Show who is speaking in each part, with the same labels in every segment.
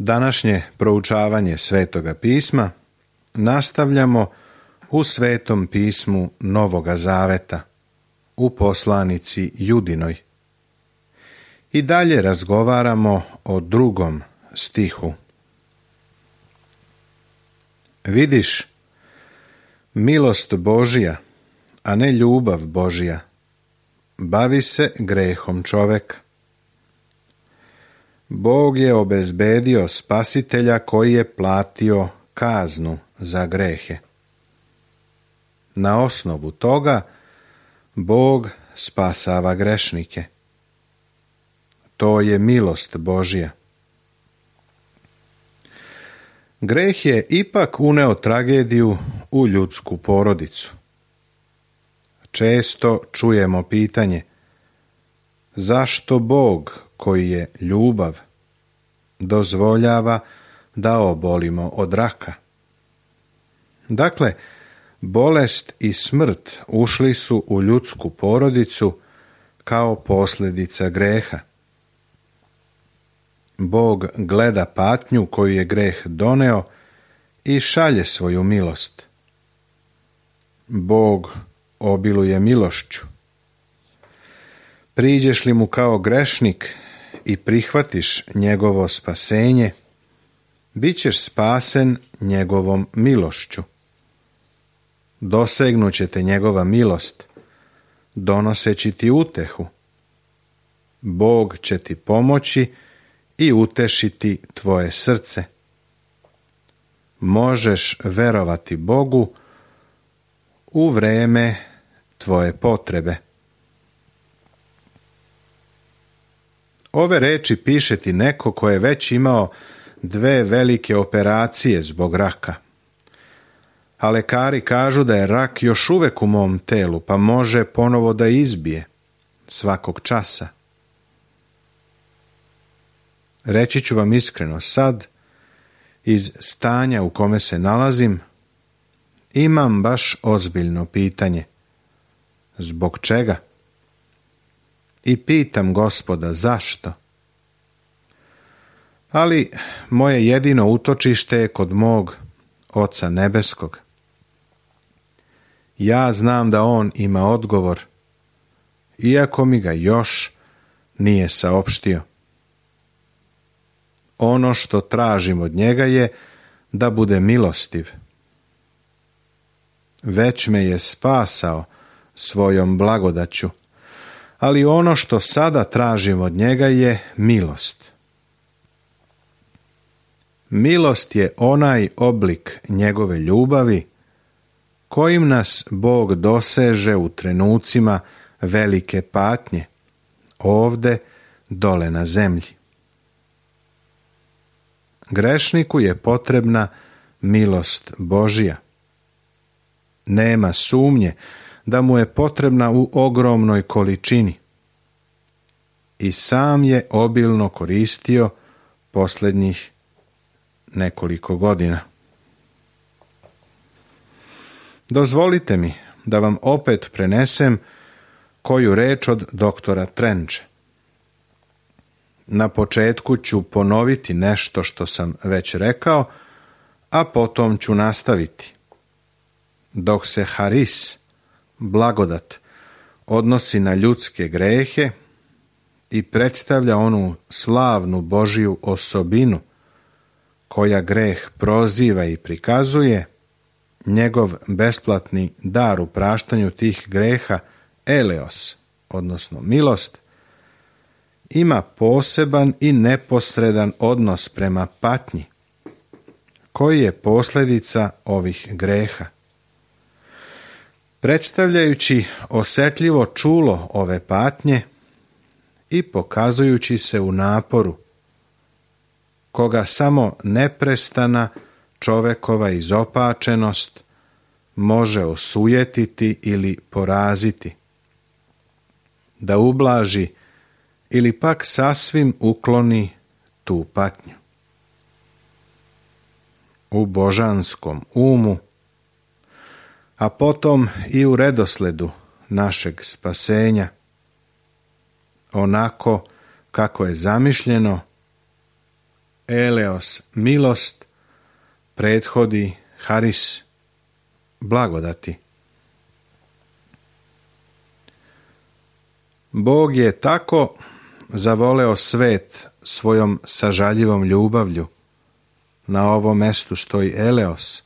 Speaker 1: Današnje proučavanje Svetoga pisma nastavljamo u Svetom pismu Novoga Zaveta, u poslanici Judinoj. I dalje razgovaramo o 2. stihu. Vidiš, milost Božja, a ne ljubav Božja, bavi se grehom čoveka. Bog je obezbedio spasitelja koji je platio kaznu za grehe. Na osnovu toga Bog spasava grešnike. To je milost Božja. Greh je ipak uneo tragediju u ljudsku porodicu. Često čujemo pitanje: zašto Bog, koji je ljubav, dozvoljava da obolimo od raka? Dakle, bolest i smrt ušli su u ljudsku porodicu kao posljedica greha. Bog gleda patnju koju je greh doneo i šalje svoju milost. Bog obiluje milošću. Priđeš li mu kao grešnik i prihvatiš njegovo spasenje, bit ćeš spasen njegovom milošću. Dosegnuće te njegova milost, donoseći ti utehu. Bog će ti pomoći i utešiti tvoje srce. Možeš verovati Bogu u vreme tvoje potrebe. Ove reči piše ti neko ko je već imao 2 velike operacije zbog raka. A lekari kažu da je rak još uvek u mom telu, pa može ponovo da izbije svakog časa. Reći ću vam iskreno sad, iz stanja u kome se nalazim, imam baš ozbiljno pitanje. Zbog čega? I pitam Gospoda zašto? Ali moje jedino utočište je kod mog Oca nebeskog. Ja znam da On ima odgovor, iako mi ga još nije saopštio. Ono što tražim od njega je da bude milostiv. Već me je spasao svojom blagodaću, ali ono što sada tražim od njega je milost. Milost je onaj oblik njegove ljubavi kojim nas Bog doseže u trenucima velike patnje, ovde dole na zemlji. Grešniku je potrebna milost Božja. Nema sumnje da mu je potrebna u ogromnoj količini. I sam je obilno koristio posljednjih nekoliko godina. Dozvolite mi da vam opet prenesem koju reč od doktora Trenče. Na početku ću ponoviti nešto što sam već rekao, a potom ću nastaviti. Dok se haris, blagodat, odnosi na ljudske grehe i predstavlja onu slavnu Božju osobinu koja greh proziva i prikazuje, njegov besplatni dar u praštanju tih greha, eleos, odnosno milost, ima poseban i neposredan odnos prema patnji, koji je posljedica ovih greha. Predstavljajući osjetljivo čulo ove patnje i pokazujući se u naporu, koga samo neprestana čovekova izopačenost može osujetiti ili poraziti, da ublaži ili pak sasvim ukloni tu patnju. U božanskom umu, a potom i u redosledu našeg spasenja, onako kako je zamišljeno, eleos milost, prethodi haris blagodati. Bog je tako zavoleo svet svojom sažaljivom ljubavlju. Na ovom mestu stoji eleos,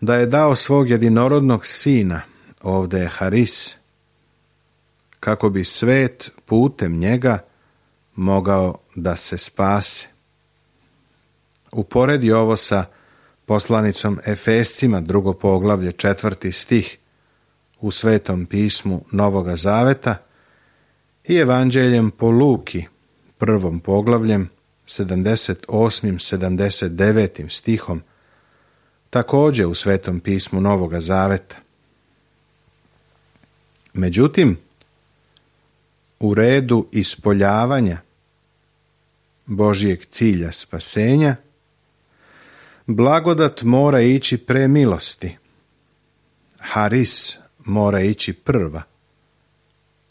Speaker 1: da je dao svog jedinorodnog sina, ovdje je haris, kako bi svet putem njega mogao da se spase. Uporedi ovo sa poslanicom Efescima, 2. poglavlje, 4. stih u Svetom pismu Novoga Zaveta i Evanđeljem po Luki, 1. poglavljem, 78. 79. stihom, također u Svetom pismu Novoga Zaveta. Međutim, u redu ispoljavanja Božijeg cilja spasenja, blagodat mora ići pre milosti. Haris mora ići prva,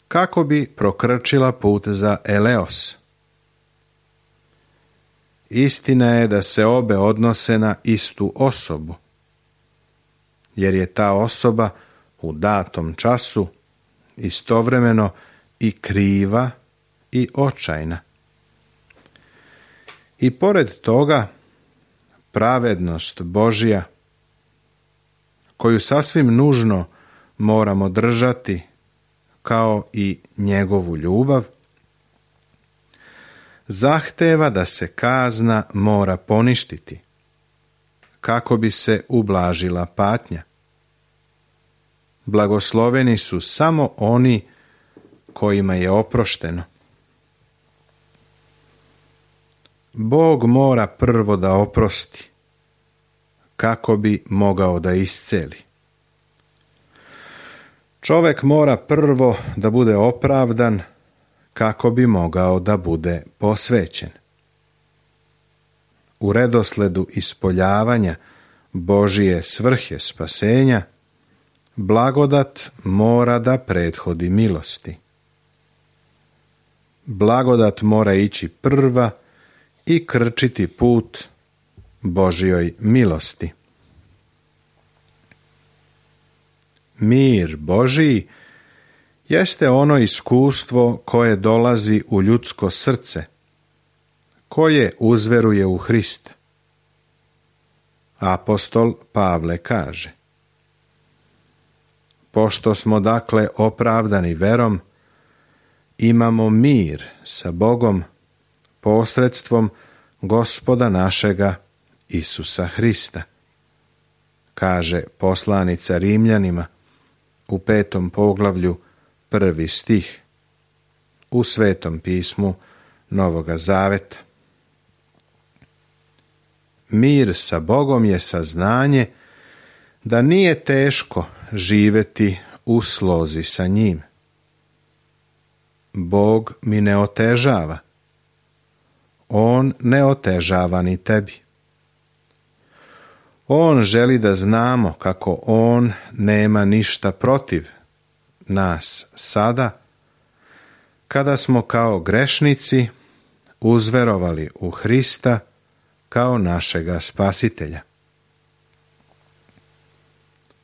Speaker 1: kako bi prokrčila put za eleos. Istina je da se obe odnose na istu osobu, jer je ta osoba u datom času istovremeno i kriva i očajna. I pored toga, pravednost Božja, koju sasvim nužno moramo držati, kao i njegovu ljubav, zahteva da se kazna mora poništiti, kako bi se ublažila patnja. Blagosloveni su samo oni kojima je oprošteno. Bog mora prvo da oprosti, kako bi mogao da isceli. Čovjek mora prvo da bude opravdan, kako bi mogao da bude posvećen. U redosledu ispoljavanja Božije svrhe spasenja, blagodat mora da prethodi milosti. Blagodat mora ići prva i krčiti put Božjoj milosti. Mir Božiji jeste ono iskustvo koje dolazi u ljudsko srce, koje uzveruje u Hrista. Apostol Pavle kaže: pošto smo dakle opravdani verom, imamo mir sa Bogom posredstvom Gospoda našega Isusa Hrista, kaže poslanica Rimljanima u 5. poglavlju 1. stih u Svetom pismu Novoga Zaveta. Mir sa Bogom je saznanje da nije teško živjeti u slozi sa njim. Bog mi ne otežava. On ne otežava ni tebi. On želi da znamo kako on nema ništa protiv nas sada, kada smo kao grešnici uzverovali u Hrista kao našega spasitelja.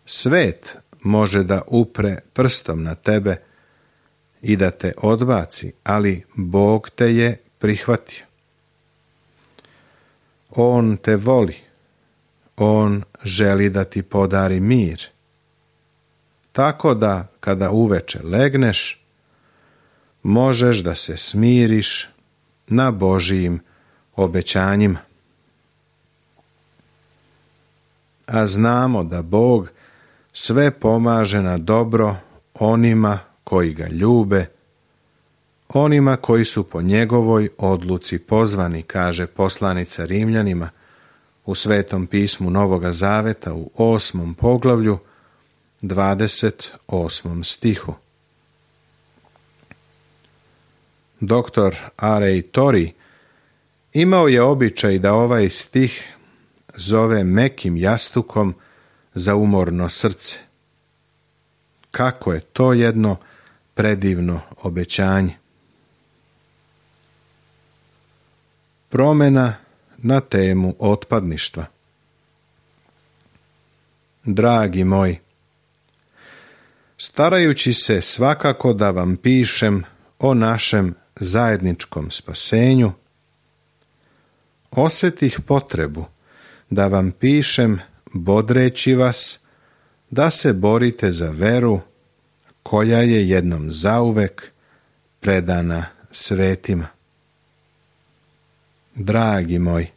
Speaker 1: Svet može da upre prstom na tebe i da te odbaci, ali Bog te je prihvatio. On te voli. On želi da ti podari mir. Tako da, kada uveče legneš, možeš da se smiriš na Božijim obećanjima. A znamo da Bog sve pomaže na dobro onima koji ga ljube, onima koji su po njegovoj odluci pozvani, kaže poslanica Rimljanima u Svetom pismu Novoga Zaveta u 8. poglavlju 28. stihu. Doktor R.A. Torrey imao je običaj da ovaj stih zove mekim jastukom za umorno srce. Kako je to jedno predivno obećanje. promjena na temu otpadništva. Dragi moji, starajući se svakako da vam pišem o našem zajedničkom spasenju, osjetih potrebu da vam pišem bodreći vas da se borite za veru koja je jednom zauvek predana svetima. Dragi moji,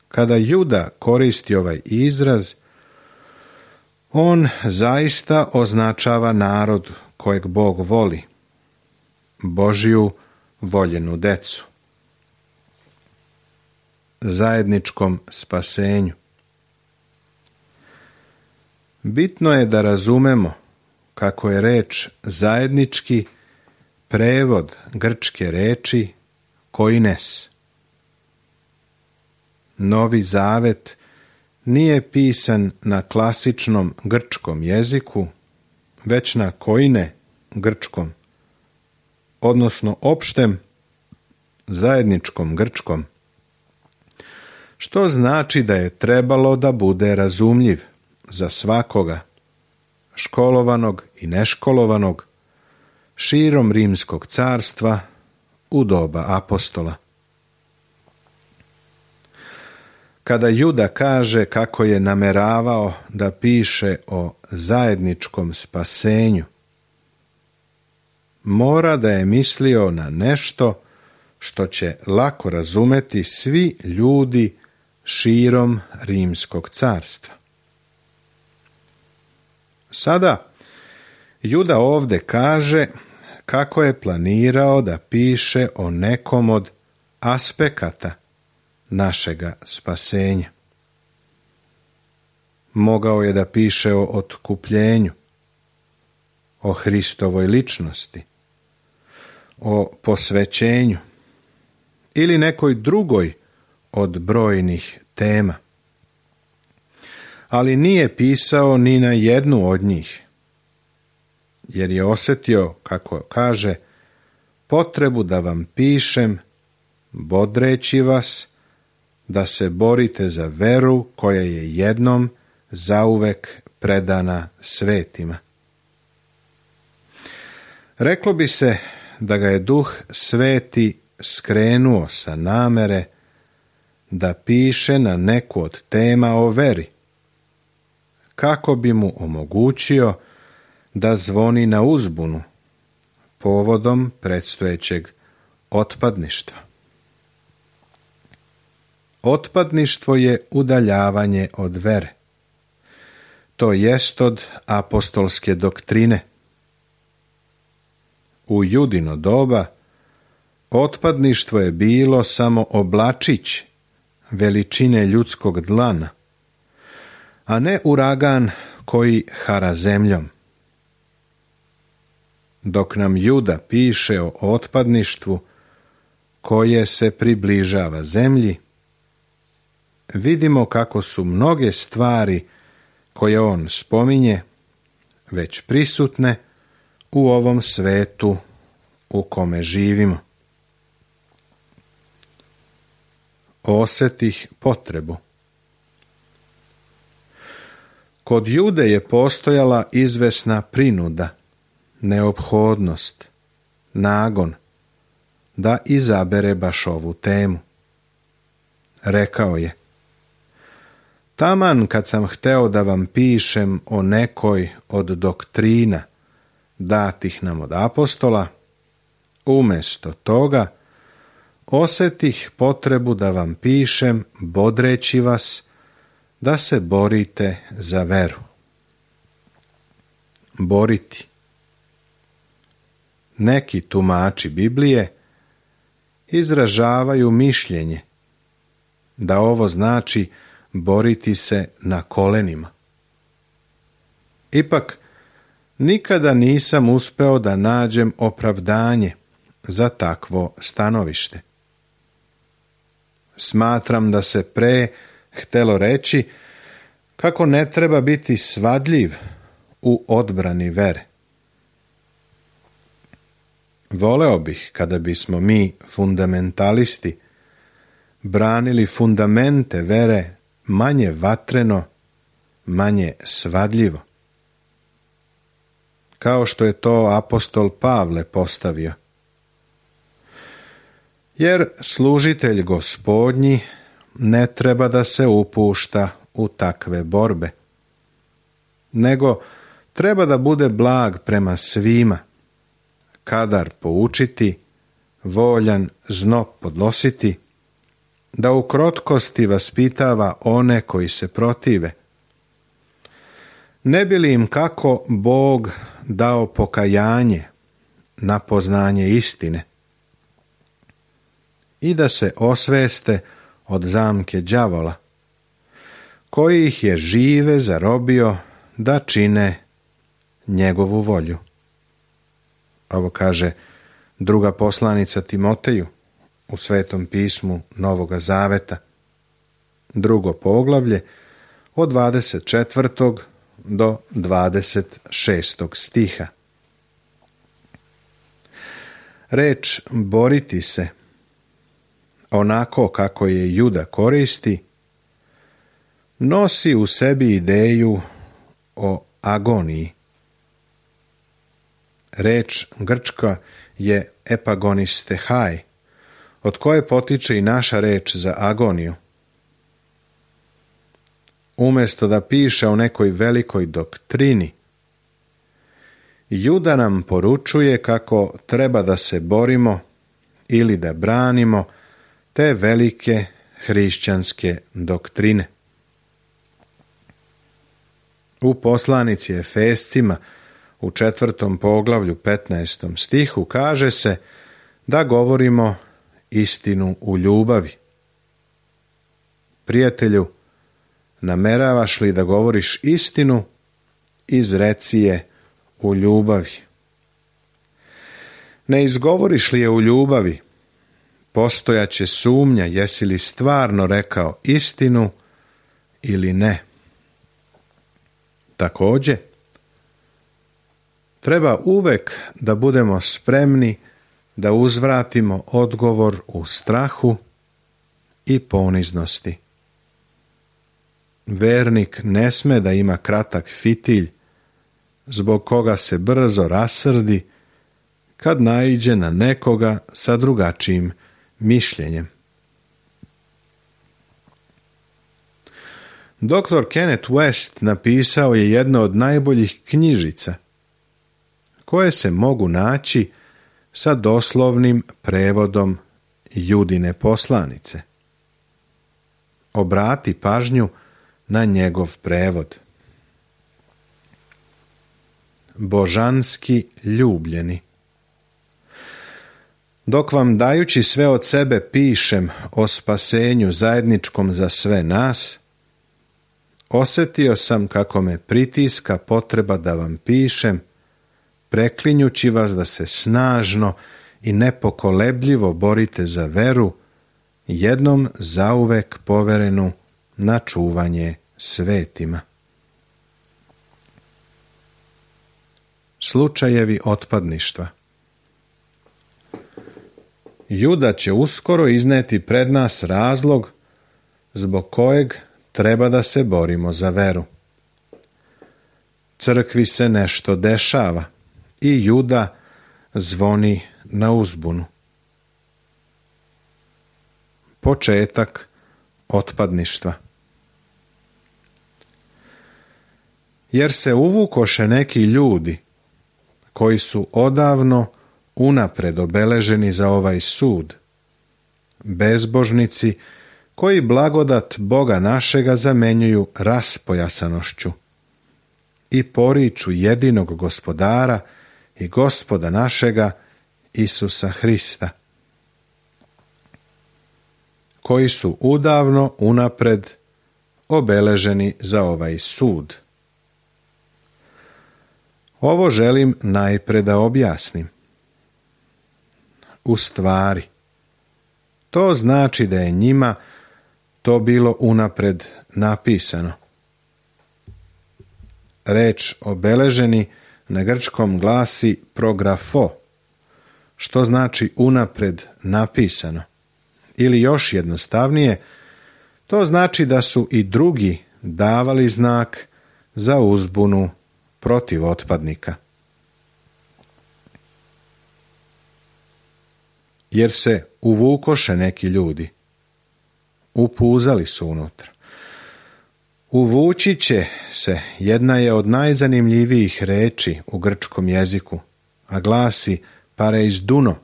Speaker 1: kada Juda koristi ovaj izraz, on zaista označava narod kojeg Bog voli, Božju voljenu decu, zajedničkom spasenju. Bitno je da razumemo kako je reč zajednički prevod grčke reči koines. Novi Zavet nije pisan na klasičnom grčkom jeziku, već na koine grčkom, odnosno opštem zajedničkom grčkom, što znači da je trebalo da bude razumljiv za svakoga, školovanog i neškolovanog, širom Rimskog carstva u doba apostola. Kada Juda kaže kako je nameravao da piše o zajedničkom spasenju, mora da je mislio na nešto što će lako razumeti svi ljudi širom Rimskog carstva. Sada Juda ovdje kaže kako je planirao da piše o nekom od aspekata našega spasenja. Mogao je da piše o otkupljenju, o Hristovoj ličnosti, o posvećenju ili nekoj drugoj od brojnih tema. Ali nije pisao ni na jednu od njih, jer je osjetio, kako kaže, potrebu da vam pišem, bodreći vas, da se borite za veru koja je jednom zauvek predana svetima. Reklo bi se da ga je Duh Sveti skrenuo sa namere da piše na neku od tema o veri, kako bi mu omogućio da zvoni na uzbunu povodom predstojećeg otpadništva. Otpadništvo je udaljavanje od vere, to jest od apostolske doktrine. U Judino doba otpadništvo je bilo samo oblačić veličine ljudskog dlana, a ne uragan koji hara zemljom. Dok nam Juda piše o otpadništvu koje se približava zemlji, vidimo kako su mnoge stvari koje on spominje već prisutne u ovom svetu u kome živimo. Osjetih potrebu. Kod Jude je postojala izvesna prinuda, neophodnost, nagon da izabere baš ovu temu. Rekao je: taman kad sam hteo da vam pišem o nekoj od doktrina datih nam od apostola, umjesto toga osjetih potrebu da vam pišem bodreći vas da se borite za veru. Boriti. Neki tumači Biblije izražavaju mišljenje da ovo znači boriti se na kolenima. Ipak, nikada nisam uspeo da nađem opravdanje za takvo stanovište. Smatram da se pre htelo reći kako ne treba biti svadljiv u odbrani vere. Voleo bih kada bismo mi, fundamentalisti, branili fundamente vere manje vatreno, manje svadljivo, kao što je to apostol Pavle postavio. Jer služitelj Gospodnji ne treba da se upušta u takve borbe, nego treba da bude blag prema svima, kadar poučiti, voljan zno podnositi, da u krotkosti vaspitava one koji se protive. Ne bi li im kako Bog dao pokajanje na poznanje istine i da se osveste od zamke đavola, koji ih je žive zarobio da čine njegovu volju. Ovo kaže druga poslanica Timoteju u Svetom pismu Novoga Zaveta, 2. poglavlje od 24. do 26. stiha. Reč boriti se, onako kako je Juda koristi, nosi u sebi ideju o agoniji. Reč grčka je epagonistehaj, od koje potiče i naša reč za agoniju. Umjesto da piše o nekoj velikoj doktrini, Juda nam poručuje kako treba da se borimo ili da branimo te velike hrišćanske doktrine. U poslanici Efescima u 4. poglavlju 15. stihu kaže se da govorimo istinu u ljubavi. Prijatelju, nameravaš li da govoriš istinu, izreci je u ljubavi. Ne izgovoriš li je u ljubavi, postojaće sumnja jesi li stvarno rekao istinu ili ne. Također, treba uvek da budemo spremni da uzvratimo odgovor u strahu i poniznosti. Vernik ne sme da ima kratak fitilj, zbog koga se brzo rasrdi kad naiđe na nekoga sa drugačijim mišljenjem. Dr. Kenneth West napisao je jedno od najboljih knjižica koje se mogu naći sa doslovnim prevodom Judine poslanice. Obrati pažnju na njegov prevod. Božanski ljubljeni. Dok vam dajući sve od sebe pišem o spasenju zajedničkom za sve nas, osjetio sam kako me pritiska potreba da vam pišem, preklinjući vas da se snažno i nepokolebljivo borite za veru, jednom zauvek poverenu na čuvanje svetima. Slučajevi otpadništva. Juda će uskoro izneti pred nas razlog zbog kojeg treba da se borimo za veru. Crkvi se nešto dešava i Juda zvoni na uzbunu. Početak otpadništva. Jer se uvukoše neki ljudi koji su odavno unapred obeleženi za ovaj sud, bezbožnici koji blagodat Boga našega zamenjuju raspojasanošću i poriču jedinog Gospodara i Gospoda našega Isusa Hrista, koji su udavno unapred obeleženi za ovaj sud. Ovo želim najpre da objasnim. U stvari, to znači da je njima to bilo unapred napisano. Reč obeleženi na grčkom glasi prografo, što znači unapred napisano. Ili još jednostavnije, to znači da su i drugi davali znak za uzbunu protiv otpadnika. Jer se uvukoše neki ljudi, upuzali su unutra. Uvući će se jedna je od najzanimljivijih reči u grčkom jeziku, a glasi pareiduno.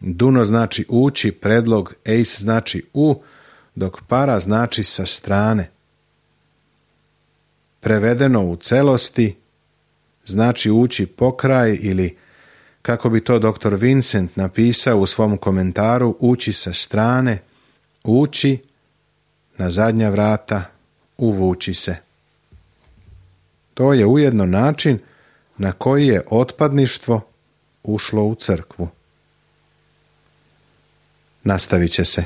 Speaker 1: Duno znači ući, predlog eis znači u, dok para znači sa strane. Prevedeno u celosti znači ući pokraj ili, kako bi to dr. Vincent napisao u svom komentaru, ući sa strane, ući na zadnja vrata, uvući se. To je ujedno način na koji je otpadništvo ušlo u crkvu. Nastavit će se.